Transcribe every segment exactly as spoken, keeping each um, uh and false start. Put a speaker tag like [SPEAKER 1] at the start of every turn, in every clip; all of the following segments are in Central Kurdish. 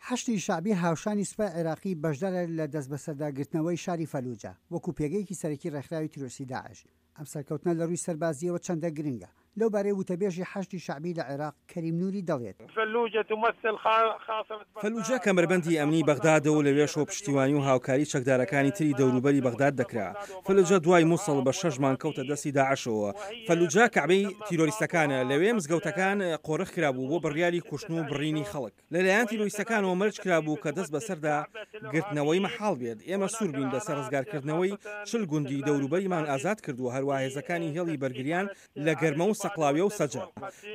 [SPEAKER 1] حەشدی شەعبی هاوشانی سوپای عێراقی بەشدارە لە دەستبەسەرداگرتنەوەی شاری فەلوجە وەکو پێگەیەکی سەرەکی ڕێکخراوی تیرۆریستی داعش. ئەم سەرکەوتنە لە ڕووی سەربازییەوە چەندە گرنگە؟ لەو بارەی وتەبێژی حەشدی شەعبی لە عێراق کەریم نوری دەڵێت.
[SPEAKER 2] فەلوجە کەمەربەندی ئەمنی بەغدادە و لەوێشەوە پشتیوانی و هاوکاری چەکدارەکانی تری دەوروبەری بەغداد دەکرا. فەلوجە دوای موسڵ بە شەش مانگ کەوتە دەستی داعشەوە. فەلوجە کەعبەی تیرۆریستەکانە، لەوێ مزگەوتەکان قۆرخ کرابوو بۆ بڕیاری کوشتن و بڕینی خەڵک. لەلایەن تیرۆریستەکانەوە مەرج کرابوو کە دەست بەسەردا گرتنەوەی مەحاڵ بێت. ئێمە سوور بووین لەسەر ڕزگارکردنەوەی، چل گوندی دەوروبەریمان ئازاد کردووە، هەروا هێزەکانی هێڵی بەرگریان لە گەرمە و سەقڵاویە و سەجە.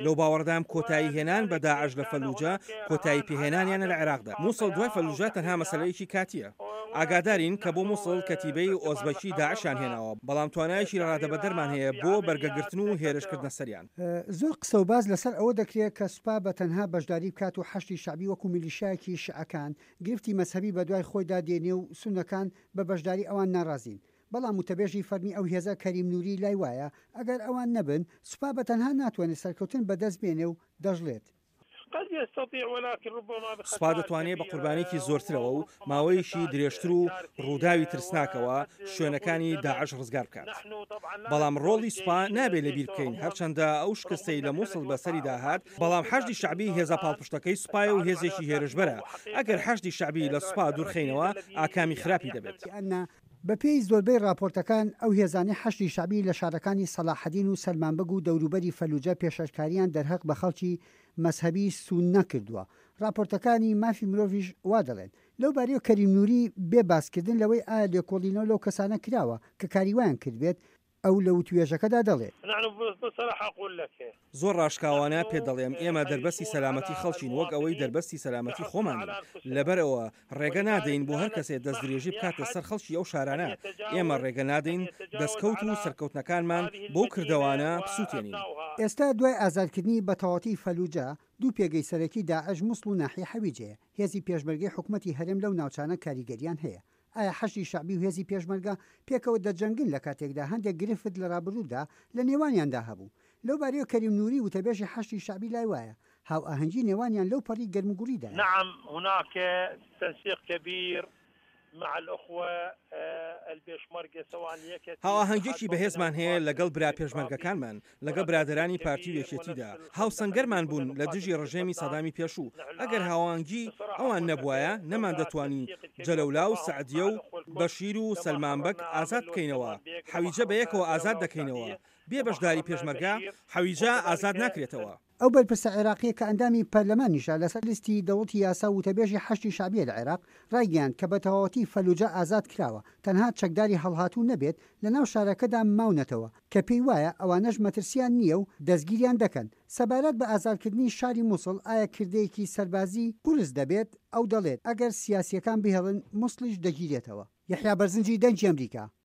[SPEAKER 2] لەو باوەڕدام کۆتایی هێنان بە داعش لە فەلوجە کۆتایی پێهێنانیانە لە عێراقدا. موسڵ دوای فەلوجە تەنها مەسەلەیەکی کاتییە. ئاگادارین کە بۆ موسڵ کەتیبەی ئۆزبەکی داعشیان هێناوە، بەڵام توانایەکی لەڕادەبەدەرمان هەیە بۆ بەرگەگرتن و هێرشکردنە سەریان.
[SPEAKER 1] زۆر قسە و باس لەسەر ئەوە دەکرێت کە سوپا بە تەنها بەشداری بکات و حەشدی شەعبی وەکو میلیشیایەکی شیعەکان گرفتی مەزهەبی بەدوای خۆیدا دێنێ و سوننەکان بە بەشداری ئەوان ناڕازین، بەڵام وتەبێژی فەرمی ئەو هێزە کەریم نوری لای وایە ئەگەر ئەوان نەبن سوپا بە تەنها ناتوانێت سەرکەوتن بەدەست بێنێ و دەشڵێت.
[SPEAKER 2] سوپا دەتوانێت بە قوربانییەکی زۆرترەوە و ماوەیەکی درێژتر و ڕووداوی ترسناکەوە شوێنەکانی داعش ڕزگار بکات. بەڵام ڕۆڵی سوپا نابێت لەبیر بکەین، هەرچەندە ئەو شکستەی لە موسڵ بەسەریدا هات، بەڵام حەشدی شەعبی هێزە پاڵپشتەکەی سوپایە و هێزێکی هێرشبەرە، ئەگەر حەشدی شەعبی لە سوپا دوورخەینەوە ئاکامی خراپی دەبێت.
[SPEAKER 1] بەپێی زۆربەی ڕاپۆرتەکان ئەو هێزانەی حەشدی شەعبی لە شارەکانی سەڵاحەدین و سەلمان بەگ و دەوروبەری فەلوجە پێشەشکاریان دەرهەق بە خەڵکی مەزهەبی سوننە کردووە، ڕاپۆرتەکانی مافی مرۆڤیش وا دەڵێن. لەو بارەیەوە کەریم نوری بێ باسکردن لەوەی ئایا لێکۆڵینەوە لەو کەسانە کراوە کە کاری وایان کردبێت، ئەو لە وتوێژەکەدا دەڵێت.
[SPEAKER 2] زۆر ڕاشکاوانە پێت دەڵێم، ئێمە دەربەستی سەلامەتی خەڵکین وەک ئەوەی دەربەستی سەلامەتی خۆمانین، لەبەرئەوە ڕێگە نادەین بۆ هەر کەسێ دەستدرێژی بکاتە سەر خەڵکی ئەو شارانە، ئێمە ڕێگە نادەین دەستکەوت و سەرکەوتنەکانمان بەو کردەوانە بسوتێنین.
[SPEAKER 1] ئێستا دوای ئازادکردنی بەتەواوەتی فەلوجە، دوو پێگەی سەرەکی داعش موسڵ و ناحیەی حەویجەیە، هێزی پێشمەرگەی حکومەتی هەرێم لەو ناوچانە کاریگەریان هەیە. ئایا حەشدی شەعبی و هێزی پێشمەرگە پێکەوە دەجەنگن لە کاتێکدا هەندێک گرفت لە رابردوودا لە نێوانیاندا هەبوو؟ لەو بارەیەوە کەریم نوری وتەبێژی حەشدی شەعبی لای وایە هاوئاهەنگی نێوانیان لەو پەڕی گەرموگوڕیدایە.
[SPEAKER 3] نعم هناک تنسیق کبیر مع الاخوە البێشمەرگە سواء یەکێتی
[SPEAKER 2] هاوئاهەنگیەکی بەهێزمان هەیە لەگەڵ برا پێشمەرگەکانمان، لەگەڵ برادەرانی پارتی و یەکێتیدا، هاوسەنگەرمان بوون لە دژی ڕژێمی سەدامی پێشوو، ئەگەر هاوئاهەنگی ئەوان نەبوایە نەماندەتوانی جەلەولا و سەعدیە و بەشیر و سەلمان بەگ ئازاد بکەینەوە، حەویجە بەیەکەوە ئازاد دەکەینەوە، بێ بەشداری پێشمەرگە حەویجە ئازاد ناکرێتەوە.
[SPEAKER 1] ئەو بەرپرسە عێراقییە کە ئەندامی پەرلەمانیشە لەسەر لیستی دەوڵەتی یاسا و وتەبێژی حەشدی شەعبییە لە عێراق، ڕایگەیاند کە بەتەواوەتی فەلوجە ئازاد کراوە، تەنها چەکداری هەڵهاتوو نەبێت لەناو شارەکەدا ماونەتەوە، کە پێی وایە ئەوانەش مەترسییان نییە و دەستگیریان دەکەن. سەبارەت بە ئازادکردنی شاری موسڵ ئایا کردەیەکی سەربازی قورس دەبێت؟ ئەو دەڵێت، ئەگەر سیاسییەکان بهێڵن موسڵیش دەگیرێتەوە. یەحیا بەرزنجی، دەنگی ئەمریکا.